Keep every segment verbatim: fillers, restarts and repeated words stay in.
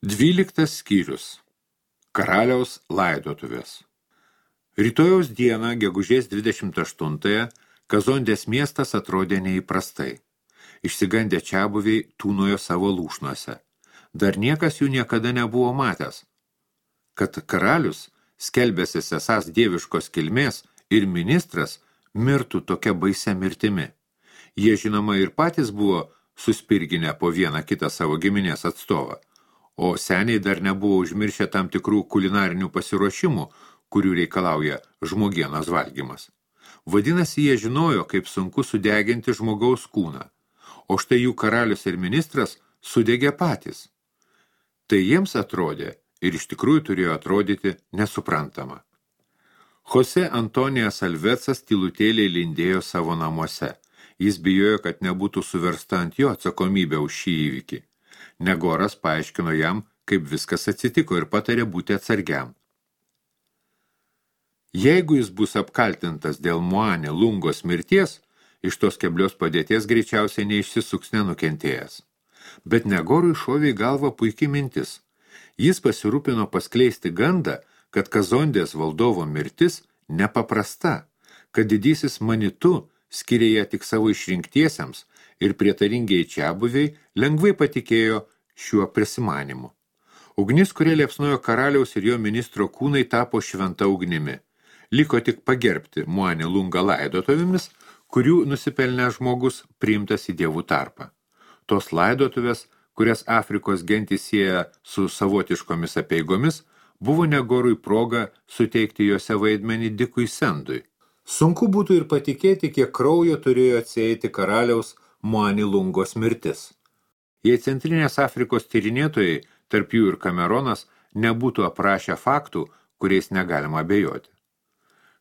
Dvyliktas skyrius. Karaliaus laidotuvės. Rytojaus dieną, gegužės dvidešimt aštuntąją, Kazondės miestas atrodė neįprastai. Išsigandę čiabuviai tūnojo savo lūšnuose. Dar niekas jų niekada nebuvo matęs. Kad karalius, skelbęsis esąs dieviškos kilmės ir ministras, mirtų tokia baisia mirtimi. Jie žinoma ir patys buvo suspirginę po vieną kitą savo giminės atstovą. O seniai dar nebuvo užmiršę tam tikrų kulinarinių pasiruošimų, kurių reikalauja žmogienos valgymas. Vadinasi, jie žinojo, kaip sunku sudeginti žmogaus kūną, o štai jų karalius ir ministras sudegė patys. Tai jiems atrodė ir iš tikrųjų turėjo atrodyti nesuprantama. Jose Antonijas Alvecas tylutėliai lindėjo savo namuose. Jis bijojo, kad nebūtų suversta ant jo atsakomybė už šį įvykį. Negoras paaiškino jam, kaip viskas atsitiko ir patarė būti atsargiam. Jeigu jis bus apkaltintas dėl Muane Lungos mirties, iš tos keblios padėties greičiausiai neišsisuks nenukentėjęs. Bet Negorui šovė į galvą puikiai mintis. Jis pasirūpino paskleisti gandą, kad Kazondės valdovo mirtis nepaprasta, kad didysis Manitu skiria ją tik savo išrinktiesiems ir prietaringiai čiabuviai lengvai patikėjo šiuo prisimanimu. Ugnis, kurie liepsnojo karaliaus ir jo ministro kūnai, tapo šventa ugnimi. Liko tik pagerbti Muane Lungą laidotovėmis, kurių nusipelnęs žmogus priimtas į dievų tarpą. Tos laidotuvės, kurias Afrikos gentys sieja su savotiškomis apeigomis, buvo Negorui proga suteikti jose vaidmenį Dikui Sendui. Sunku būtų ir patikėti, kiek kraujo turėjo atsieiti karaliaus Muane Lungos mirtis. Jei Centrinės Afrikos tyrinėtojai, tarp jų ir Kameronas, nebūtų aprašę faktų, kuriais negalima abejoti.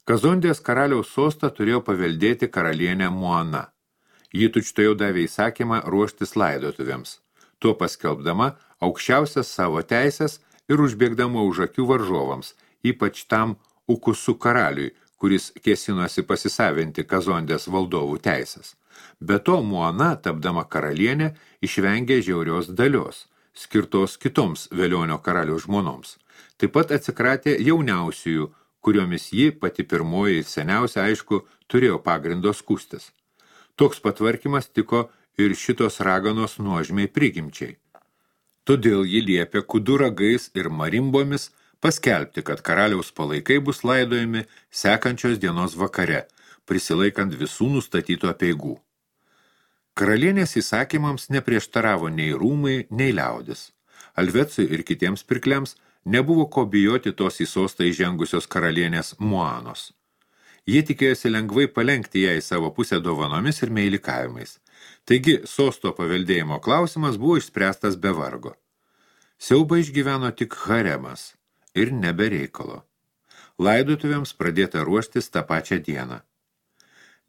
Kazondės karaliaus sostą turėjo paveldėti karalienė Muana. Ji tučtuojau davė įsakymą ruoštis laidotuvėms, tuo paskelbdama aukščiausias savo teisės ir užbėgdama už akių varžovams, ypač tam Ukusu karaliui, kuris kėsinosi pasisavinti Kazondės valdovų teisės. Be to, Muana, tapdama karalienė, išvengė žiaurios dalios, skirtos kitoms Velionio karaliaus žmonoms. Taip pat atsikratė jauniausiųjų, kuriomis ji, pati pirmoji ir seniausia, aišku, turėjo pagrindo skųstis. Toks patvarkymas tiko ir šitos raganos nuožmiai prigimčiai. Todėl ji liepė kudu ragais ir marimbomis paskelbti, kad karaliaus palaikai bus laidojami sekančios dienos vakare, prisilaikant visų nustatytų apeigų. Karalienės įsakymams neprieštaravo nei rūmai, nei liaudis. Alvecui ir kitiems pirkliams nebuvo ko bijoti tos į sostą įžengusios karalienės Muanos. Jie tikėjosi lengvai palenkti ją į savo pusę dovanomis ir meilikavimais. Taigi, sosto paveldėjimo klausimas buvo išspręstas be vargo. Siaubą išgyveno tik haremas ir nebe reikalo. Laidotuvėms pradėta ruoštis tą pačią dieną.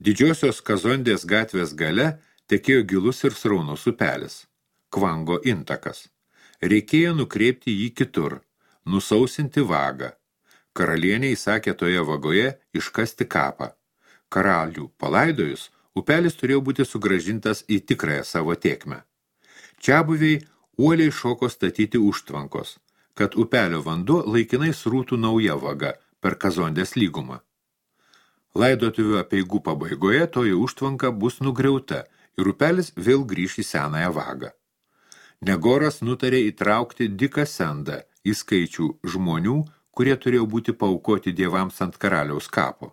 Didžiosios Kazondės gatvės gale tekėjo gilus ir sraunus upelis, Kvango intakas. Reikėjo nukreipti jį kitur, nusausinti vagą. Karalienė įsakė toje vagoje iškasti kapą. Karalių palaidojus, upelis turėjo būti sugrąžintas į tikrąją savo tėkmę. Čiabuviai uoliai šoko statyti užtvankos, kad upelio vanduo laikinai srūtų nauja vaga per Kazondės lygumą. Laidotuvių apeigų pabaigoje toji užtvanka bus nugriauta ir upelis vėl grįš į senąją vagą. Negoras nutarė įtraukti Diką Sendą į skaičių žmonių, kurie turėjo būti paaukoti dievams ant karaliaus kapo.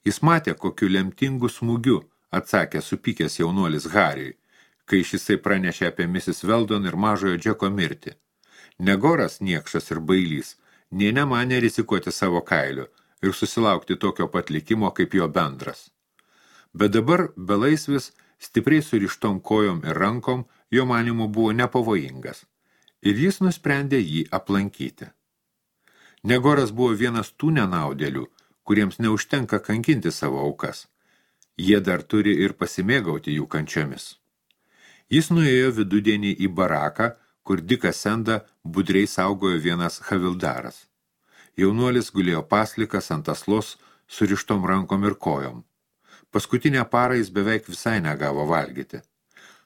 Jis matė, kokiu lemtingu smūgiu atsakė supykęs jaunuolis Hariui, kai šisai pranešė apie misis Veldon ir mažojo Džeko mirtį. Negoras, niekšas ir bailys, nė nemanė rizikuoti savo kailiu ir susilaukti tokio pat likimo kaip jo bendras. Bet dabar belaisvis, stipriai surištom kojom ir rankom, jo manimu buvo nepavojingas, ir jis nusprendė jį aplankyti. Negoras buvo vienas tų nenaudėlių, kuriems neužtenka kankinti savo aukas. Jie dar turi ir pasimėgauti jų kančiomis. Jis nuėjo vidudienį į baraką, kur Diką Sendą budriai saugojo vienas havildaras. Jaunuolis gulėjo paslikas ant aslos surištom rankom ir kojom. Paskutinę parą jis beveik visai negavo valgyti.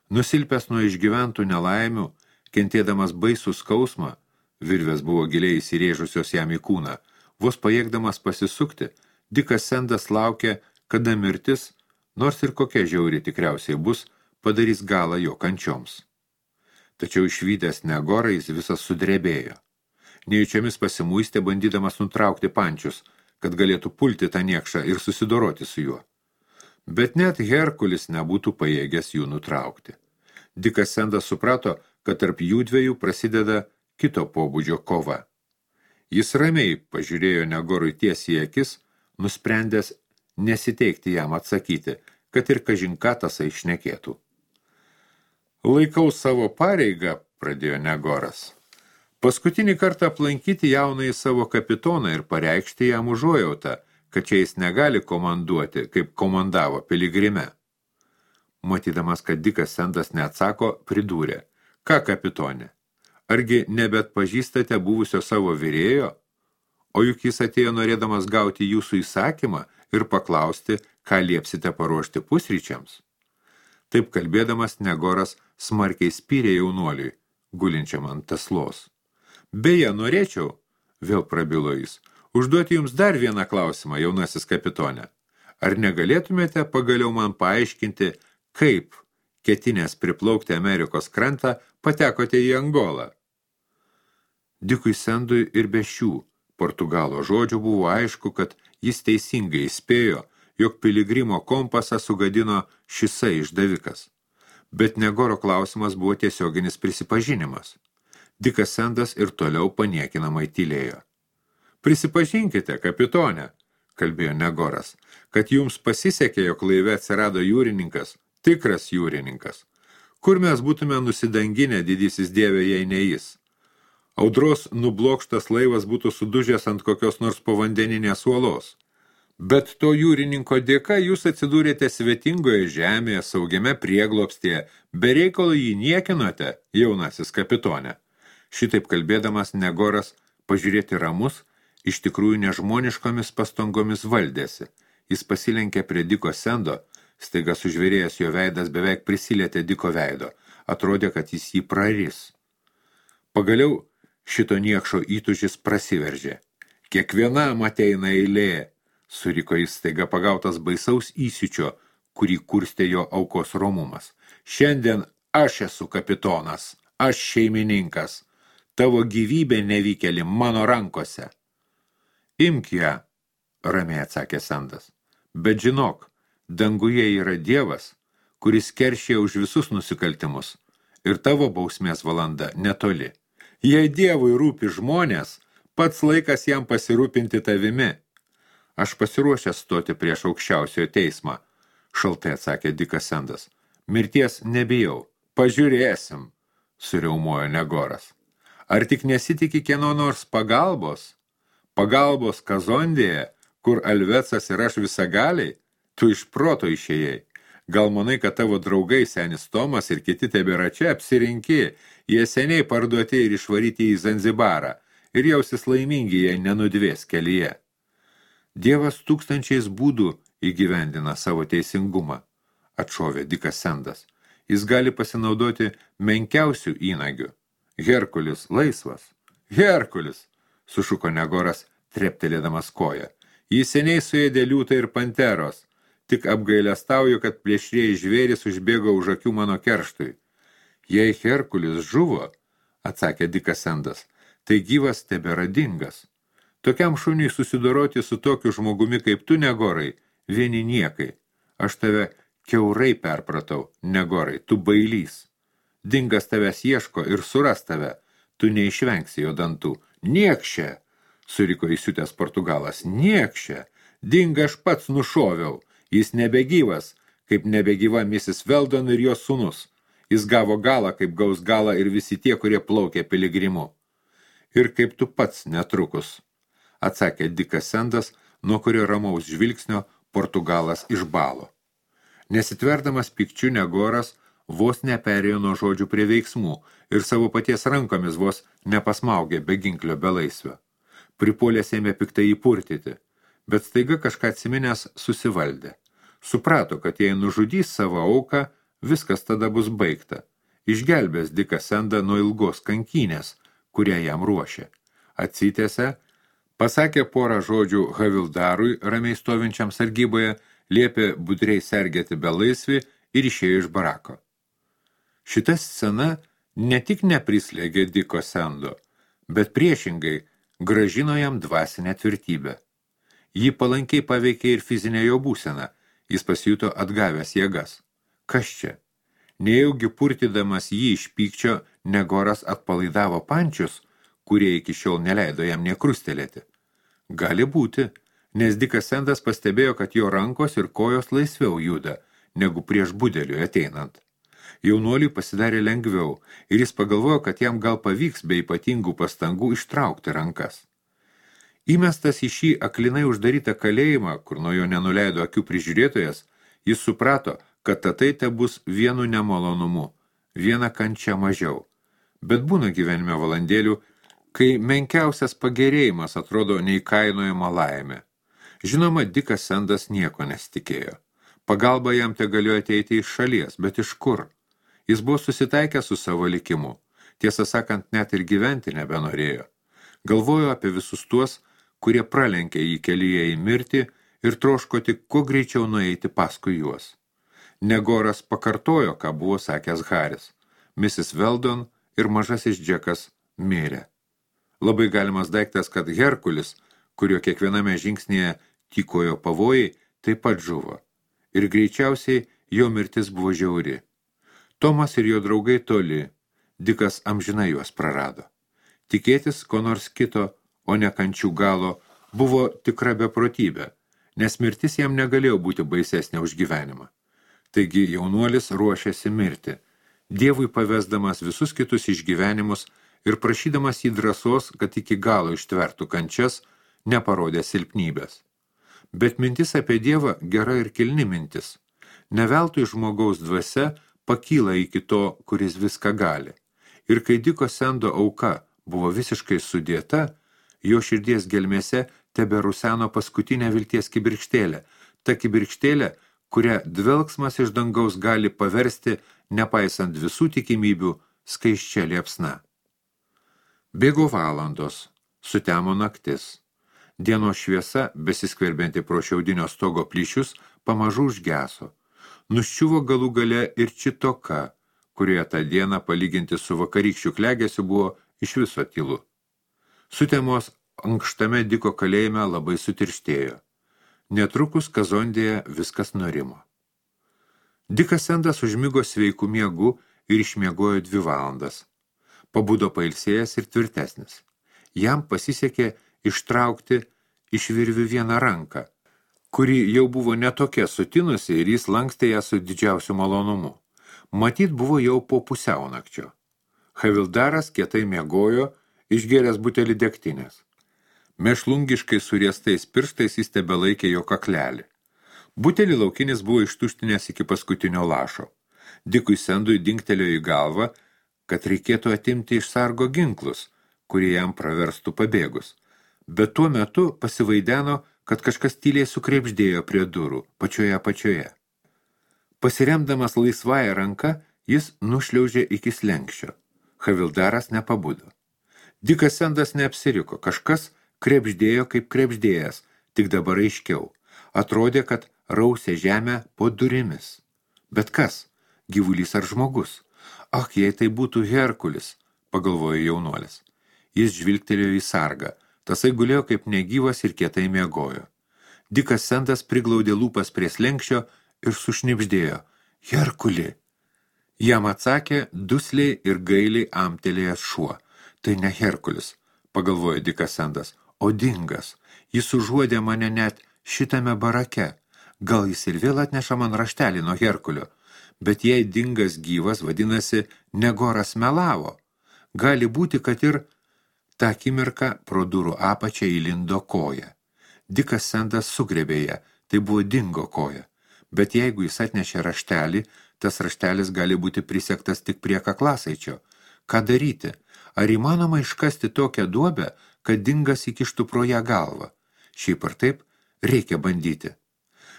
Nusilpęs nuo išgyventų nelaimių, kentėdamas baisų skausmą, Virvės buvo giliai įsirėžusios jam į kūną. Vos pajėgdamas pasisukti, Dikas Sendas laukė, kada mirtis, nors ir kokia žiauri tikriausiai bus, padarys galą jo kančioms. Tačiau išvydęs Negorą jis visas sudrebėjo. Nejučiomis pasimuistė, bandydamas nutraukti pančius, kad galėtų pulti tą niekšą ir susidoroti su juo. Bet net Herkulis nebūtų pajėgęs jų nutraukti. Dikas Sendas suprato, kad tarp jų dviejų prasideda kito pobūdžio kova. Jis ramiai pažiūrėjo Negorui tiesiai į akis, nusprendęs nesiteikti jam atsakyti, kad ir kažinką tasai šnekėtų. Laikau savo pareigą, pradėjo Negoras. Paskutinį kartą aplankyti jaunąjį savo kapitoną ir pareikšti jam užuojautą, kad čia jis negali komanduoti, kaip komandavo piligrime. Matydamas, kad Dikas Sendas neatsako, pridūrė. Ką, kapitonė? Argi nebet pažįstate buvusio savo virėjo? O juk jis atėjo norėdamas gauti jūsų įsakymą ir paklausti, ką liepsite paruošti pusryčiams. Taip kalbėdamas Negoras smarkiai spyrė jaunuoliui, gulinčiam ant taslos. Beje, norėčiau, vėl prabilo jis, užduoti jums dar vieną klausimą, jaunasis kapitonė. Ar negalėtumėte pagaliau man paaiškinti, kaip, ketinės priplaukti Amerikos krantą, patekote į Angolą? Dikui Sendui ir be šių Portugalo žodžių buvo aišku, kad jis teisingai įspėjo, jog piligrimo kompasą sugadino šisai išdavikas. Bet Negoro klausimas buvo tiesioginis prisipažinimas. Dikas Sendas ir toliau paniekinamai tylėjo. Prisipažinkite, kapitonė, kalbėjo Negoras, kad jums pasisekė, jog laive atsirado jūrininkas, tikras jūrininkas. Kur mes būtume nusidanginę, didysis dieve, jei ne jis? Audros nublokštas laivas būtų sudužęs ant kokios nors povandeninės uolos. Bet to jūrininko dėka jūs atsidūrėte svetingoje žemėje, saugiame prieglobstyje, be reikalo jį niekinote, jaunasis kapitonė. Šitaip kalbėdamas Negoras, pažiūrėti ramus, iš tikrųjų nežmoniškomis pastangomis valdėsi. Jis pasilenkė prie Diko Sendo, staiga sužvėrėjęs jo veidas beveik prisilietė Diko veido. Atrodė, kad jis jį praris. Pagaliau šito niekšo įtūžis prasiveržė. Kiekvienam ateina eilė, suriko jis staiga pagautas baisaus įsiučio, kurį kurstė jo aukos romumas. Šiandien aš esu kapitonas, aš šeimininkas. Tavo gyvybė nevykėli mano rankose. Imk ją, ramiai atsakė Sendas. Bet žinok, danguje yra Dievas, kuris keršė už visus nusikaltimus, ir tavo bausmės valanda netoli. Jei Dievui rūpi žmonės, pats laikas jam pasirūpinti tavimi. Aš pasiruošęs stoti prieš aukščiausiojo teismą, šaltai atsakė Dikas Sendas. Mirties nebijau, pažiūrėsim, suriaumojo Negoras. Ar tik nesitiki kieno nors pagalbos? Pagalbos Kazondėje, kur Alvecas ir aš visagaliai? Tu iš proto išėjai. Gal manai, kad tavo draugai senis Tomas ir kiti tebėra čia apsirinki, jie seniai parduoti ir išvaryti į Zanzibarą ir jausis laimingi, jei nenudvės kelyje. Dievas tūkstančiais būdų įgyvendina savo teisingumą, atšovė Dikas Sendas. Jis gali pasinaudoti menkiausių įnagių. Herkulis laisvas. Herkulis, sušuko Negoras, treptelėdamas koją. Jis seniai suėdė liūtą ir panteros. Tik apgailestauju, kad plėšrieji žvėris užbėgo už akių mano kerštui. Jei Herkulis žuvo, atsakė Dikas Sendas, tai gyvas tebėra dingas. Tokiam šuniui susidoroti su tokiu žmogumi kaip tu, Negorai, vieni niekai. Aš tave kiaurai perpratau, Negorai, tu bailys. Dingas tavęs ieško ir suras tave, tu neišvengsi jo dantų. Niekšė, suriko įsiutęs Portugalas, niekšė, dingą aš pats nušoviau, jis nebegyvas, kaip nebegyva misis Veldon ir jos sūnus. Jis gavo galą, kaip gaus galą ir visi tie, kurie plaukė piligrimu. Ir kaip tu pats netrukus, atsakė Dikas Sendas, nuo kurio ramaus žvilgsnio Portugalas išbalo. Nesitverdamas pikčiu Negoras vos neperėjo nuo žodžių prie veiksmų ir savo paties rankomis vos nepasmaugė be ginklio belaisvio. Pripolės ėmė piktai įpurtyti, bet staiga kažką atsiminęs susivaldė. Suprato, kad jei nužudys savo auką, viskas tada bus baigta. Išgelbės Diką Sendą nuo ilgos kankynės, kurią jam ruošė. Atsitęsė, pasakė porą žodžių Havildarui, ramiai stovinčiam sargyboje, liepė budriai sergėti belaisvį ir išėjo iš barako. Šita scena ne tik neprislėgė Diko Sendo, bet priešingai grąžino jam dvasinę tvirtybę. Jį palankiai paveikė ir fizinė jo būsena, jis pasijuto atgavęs jėgas. Kas čia? Nejaugi purtydamas jį iš pykčio, Negoras atpalaidavo pančius, kurie iki šiol neleido jam nekrustelėti. Gali būti, nes Dikas Sendas pastebėjo, kad jo rankos ir kojos laisviau juda, negu prieš budeliui ateinant. Jaunuoliui pasidarė lengviau ir jis pagalvojo, kad jam gal pavyks be ypatingų pastangų ištraukti rankas. Įmestas į šį aklinai uždarytą kalėjimą, kur nuo jo nenuleido akių prižiūrėtojas, jis suprato, kad tatai te bus vienu nemalonumu, viena kančia mažiau. Bet būna gyvenime valandėlių, kai menkiausias pagerėjimas atrodo neįkainojama laimė. Žinoma, Dikas Sendas nieko nesitikėjo. Pagalba jam te galėjo ateiti iš šalies, bet iš kur? Jis buvo susitaikęs su savo likimu. Tiesą sakant, net ir gyventi nebenorėjo. Galvojo apie visus tuos, kurie pralenkė jį kelyje į mirtį ir troško tik kuo greičiau nueiti paskui juos. Negoras pakartojo, ką buvo sakęs Haris. misis Weldon ir mažasis Džekas mirė. Labai galimas daiktas, kad Herkulis, kurio kiekviename žingsnėje tykojo pavojai, taip pat žuvo. Ir greičiausiai jo mirtis buvo žiauri. Tomas ir jo draugai toli, Dikas amžinai juos prarado. Tikėtis ko nors kito, o ne kančių galo, buvo tikra beprotybė, nes mirtis jam negalėjo būti baisesnė už gyvenimą. Taigi jaunuolis ruošėsi mirti, Dievui pavesdamas visus kitus išgyvenimus ir prašydamas jį drąsos, kad iki galo ištvertų kančias, neparodė silpnybės. Bet mintis apie Dievą gera ir kilni mintis. Neveltui žmogaus dvasia pakyla iki to, kuris viską gali. Ir kai Diko Sendo auka buvo visiškai sudėta, jo širdies gelmėse teberuseno paskutinė vilties kibirkštėlė, ta kibirkštėlė, kurią dvelksmas iš dangaus gali paversti, nepaisant visų tikimybių, skaisčia liepsna. Bėgo valandos, sutemo naktis. Dienos šviesa, besiskverbianti pro šiaudinio stogo plyšius, pamažu užgeso. Nuščiuvo galų gale ir Čitoka, kurioje tą dieną palyginti su vakarykščių klegesiu buvo iš viso tylu. Sutemos ankštame Diko kalėjime labai sutirštėjo. Netrukus Kazondėje viskas nurimo. Dikas Sendas užmigo sveiku miegu ir išmiegojo dvi valandas. Pabudo pailsėjęs ir tvirtesnis. Jam pasisekė ištraukti iš virvių vieną ranką, kuri jau buvo netokia sutinusi ir jis lankstė ją su didžiausiu malonumu. Matyt buvo jau po pusiaunakčio. Havildaras kietai miegojo, išgėręs butelį degtinės. Mešlungiškai suriestais pirštais jis tebelaikė jo kaklelį. Butelį laukinis buvo ištuštinęs iki paskutinio lašo. Dikui Sendui dingtelėjo į galvą, kad reikėtų atimti iš sargo ginklus, kurie jam praverstų pabėgus. Bet tuo metu pasivaideno, kad kažkas tyliai sukrebždėjo prie durų, pačioje apačioje. Pasiremdamas laisvąją ranką, jis nušliaužė iki slenkščio. Havildaras nepabudo. Dikas Sendas neapsiriko, kažkas krebždėjo kaip krebždėjęs, tik dabar aiškiau. Atrodė, kad rausė žemę po durimis. Bet kas? Gyvulys ar žmogus? Ak, jei tai būtų Herkulis, pagalvojo jaunuolis. Jis žvilgtelėjo į sargą. Tasai gulėjo kaip negyvas ir kietai miegojo. Dikas Sendas priglaudė lūpas prie slenkščio ir sušnibždėjo. Herkuli! Jam atsakė dusliai ir gailiai amtelėjęs šuo. Tai ne Herkulis, pagalvojo Dikas Sendas, o dingas. Jis užuodė mane net šitame barake. Gal jis ir vėl atneša man raštelį nuo Herkulio. Bet jei dingas gyvas, vadinasi, Negoras melavo. Gali būti, kad ir tą akimirką pro durų apačią įlindo koja. Dikas Sendas sugrebė ją, tai buvo dingo koja. Bet jeigu jis atnešė raštelį, tas raštelis gali būti prisektas tik prie kaklasaičio. Ką daryti? Ar įmanoma iškasti tokią duobę, kad dingas įkištų pro ją galvą? Šiaip ar taip, reikia bandyti.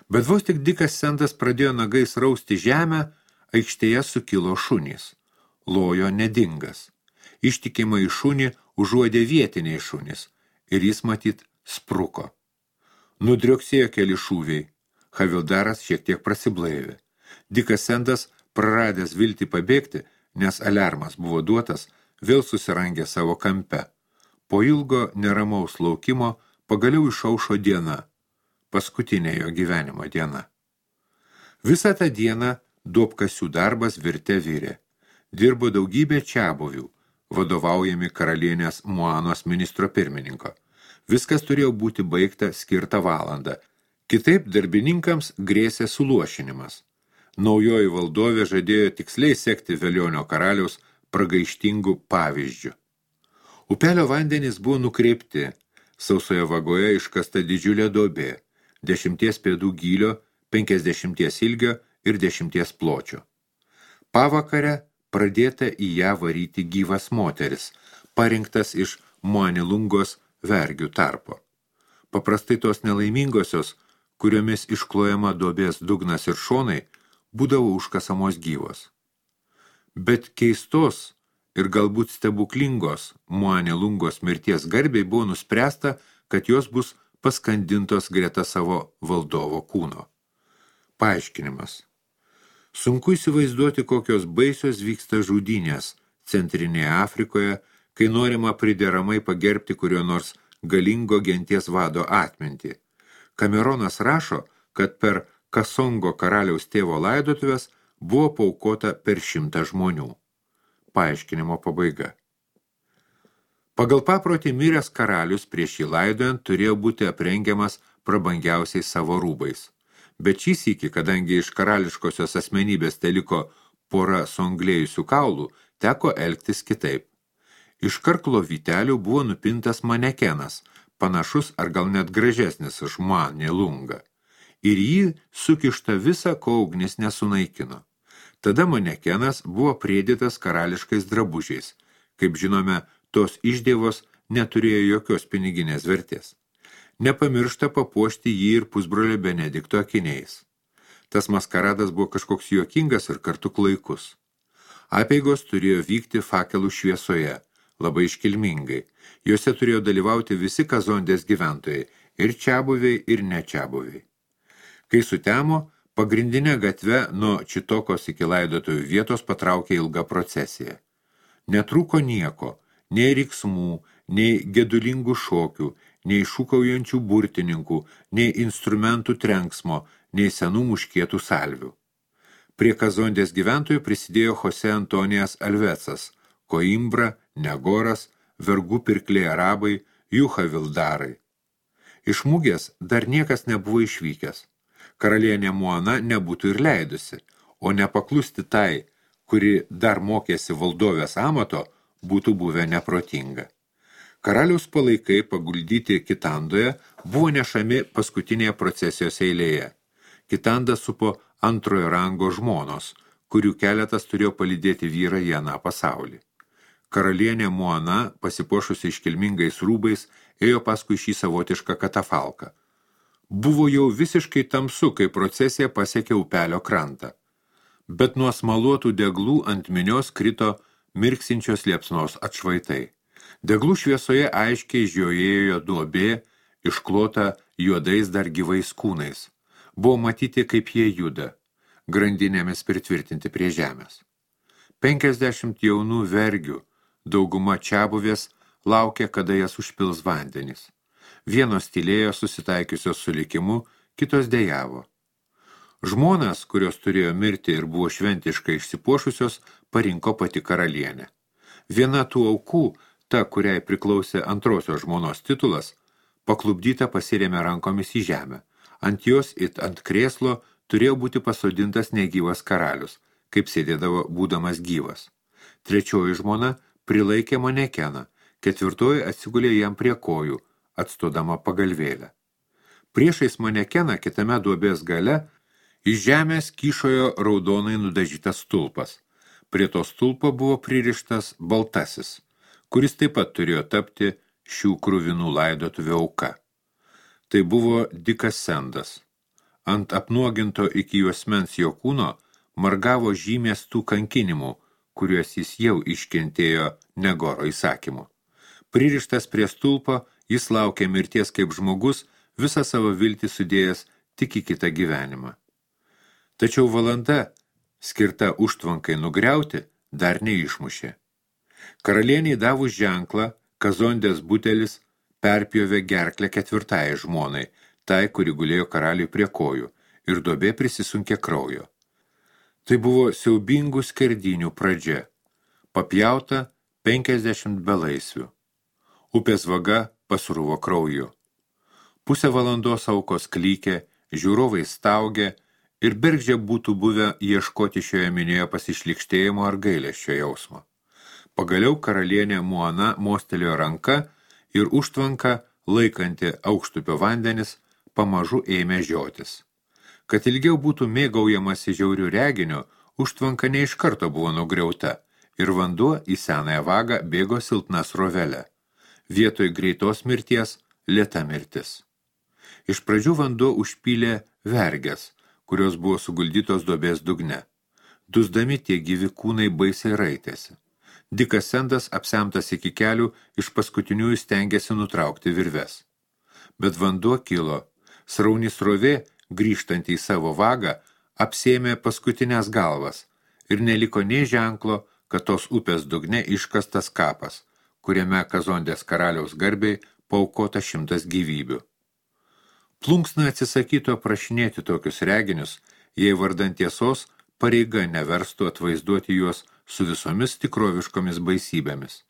Bet vos tik Dikas Sendas pradėjo nagais rausti žemę, aikštėje sukilo šunys. Lojo nedingas. Ištikimą į šunį užuodė vietiniai šunys ir jis matyt spruko. Nudrioksėjo keli šūviai. Havildaras šiek tiek prasiblaivė. Dikas Sendas, praradęs viltį pabėgti, nes aliarmas buvo duotas, vėl susirangė savo kampe. Po ilgo neramaus laukimo pagaliau išaušo diena, paskutinė jo gyvenimo diena. Visą tą dieną duobkasių darbas virte virė. Dirbo daugybė čiabuvių, vadovaujami karalienės Muanos ministro pirmininko. Viskas turėjo būti baigta skirtą valandą. Kitaip darbininkams grėsė suluošinimas. Naujoji valdovė žadėjo tiksliai sekti Velionio karaliaus pragaištingų pavyzdžių. Upelio vandenys buvo nukreipti, sausoje vagoje iškasta didžiulė duobė, dešimties pėdų gylio, penkiasdešimties ilgio ir dešimties pločio. Pavakare pradėta į ją varyti gyvas moteris, parinktas iš Muanilungos vergių tarpo. Paprastai tos nelaimingosios, kuriomis išklojama duobės dugnas ir šonai, būdavo užkasamos gyvos. Bet keistos ir galbūt stebuklingos Muanilungos mirties garbiai buvo nuspręsta, kad jos bus paskandintos greta savo valdovo kūno. Paaiškinimas. Sunku įsivaizduoti, kokios baisios vyksta žudynės Centrinėje Afrikoje, kai norima prideramai pagerbti kurio nors galingo genties vado atmintį. Kameronas rašo, kad per Kasongo karaliaus tėvo laidotuvės buvo paaukota per šimtą žmonių. Paaiškinimo pabaiga. Pagal paprotį miręs karalius prieš jį laidojant turėjo būti aprengiamas prabangiausiais savo rūbais. Bet šį sykį, kadangi iš karališkosios asmenybės teliko pora songlėjusių kaulų, teko elgtis kitaip. Iš karklo vytelių buvo nupintas manekenas, panašus ar gal net gražesnis už Muanilungą. Ir jį sukišta visa, ko ugnis nesunaikino. Tada manekenas buvo priedėtas karališkais drabužiais. Kaip žinome, tos išdėvos neturėjo jokios piniginės vertės. Nepamiršta papuošti jį ir pusbrolio Benedikto akiniais. Tas maskaradas buvo kažkoks juokingas ir kartu klaikus. Apeigos turėjo vykti fakelų šviesoje, labai iškilmingai. Jose turėjo dalyvauti visi Kazondės gyventojai, ir čiabuviai, ir nečiabuviai. Kai sutemo, pagrindinė gatve nuo Čitokos iki laidotojų vietos patraukė ilgą procesiją. Netrūko nieko, nei riksmų, nei gedulingų šokių, nei šūkaujančių burtininkų, nei instrumentų trenksmo, nei senų muškietų salvių. Prie Kazondės gyventojų prisidėjo Jose Antonijas Alvecas, Koimbra, Negoras, vergų pirkliai arabai, jų havildarai. Iš mugės dar niekas nebuvo išvykęs. Karalienė Muana nebūtų ir leidusi, o nepaklusti tai, kuri dar mokėsi valdovės amato, būtų buvę neprotinga. Karaliaus palaikai paguldyti Kitandoje buvo nešami paskutinėje procesijos eilėje. Kitanda supo antrojo rango žmonos, kurių keletas turėjo palydėti vyrą į aną pasaulį. Karalienė Muana, pasipuošusi iškilmingais rūbais, ėjo paskui šį savotišką katafalką. Buvo jau visiškai tamsu, kai procesija pasiekė upelio krantą. Bet nuo smaluotų deglų ant minios krito mirksinčios liepsnos atšvaitai. Deglų šviesoje aiškiai žiojėjo duobė, išklota juodais dar gyvais kūnais. Buvo matyti, kaip jie juda, grandinėmis pritvirtinti prie žemės. Penkiasdešimt jaunų vergių, dauguma čiabuvės, laukė, kada jas užpils vandenys. Vienos tylėjo susitaikiusios su likimu, kitos dejavo. Žmonas, kurios turėjo mirti ir buvo šventiškai išsipuošusios, parinko pati karalienė. Viena tų aukų, ta, kuriai priklausė antrosios žmonos titulas, paklubdyta pasirėmė rankomis į žemę. Ant jos it ant krėslo turėjo būti pasodintas negyvas karalius, kaip sėdėdavo būdamas gyvas. Trečioji žmona prilaikė manekeną, ketvirtoji atsigulė jam prie kojų, atstodama pagalvėlę. Priešais manekeną kitame duobės gale iš žemės kyšojo raudonai nudažytas stulpas. Prie to stulpo buvo pririštas baltasis, kuris taip pat turėjo tapti šių kruvinų laidotuvių auka. Tai buvo Dikas Sendas. Ant apnuoginto iki juosmens jo kūno margavo žymės tų kankinimų, kuriuos jis jau iškentėjo Negoro įsakymu. Pririštas prie stulpo, jis laukė mirties kaip žmogus, visą savo viltį sudėjęs tik į kitą gyvenimą. Tačiau valanda, skirta užtvankai nugriauti, dar neišmušė. Karalieniai davus ženklą, Kazondės butelis perpjovė gerklę ketvirtajai žmonai, tai, kuri gulėjo karaliui prie kojų, ir duobė prisisunkė kraujo. Tai buvo siaubingų skerdinių pradžia. Papjauta penkiasdešimt belaisvių. Upės vaga pasruvo krauju. Pusę valandos aukos klykė, žiūrovai staugė ir bergždžia būtų buvę ieškoti šioje minioje pasišlikštėjimo ar gailesčio jausmo. Pagaliau karalienė Muana mostelėjo ranka ir užtvanka, laikanti aukštupio vandenis, pamažu ėmė žiotis. Kad ilgiau būtų mėgaujamasi žiaurių reginių, užtvanka ne iš karto buvo nugriauta ir vanduo į senąją vagą bėgo silpna srovelė. Vietoj greitos mirties lėta mirtis. Iš pradžių vanduo užpylė vergės, kurios buvo suguldytos duobės dugne. Dusdami tie gyvi kūnai baisiai raitėsi. Dikas Sendas, apsemtas iki kelių, iš paskutiniųjų stengėsi nutraukti virves. Bet vanduo kilo. Srauni srovė, grįžtant į savo vagą, apsėmė paskutinės galvas ir neliko nei ženklo, kad tos upės dugne iškastas kapas, kuriame Kazondės karaliaus garbiai paaukota šimtas gyvybių. Plunksna atsisakytų aprašinėti tokius reginius, jei vardant tiesos pareiga neverstų atvaizduoti juos su visomis tikroviškomis baisybėmis.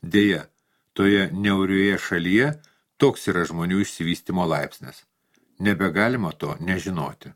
Deja, toje niaurioje šalyje toks yra žmonių išsivystymo laipsnis. Nebegalima to nežinoti.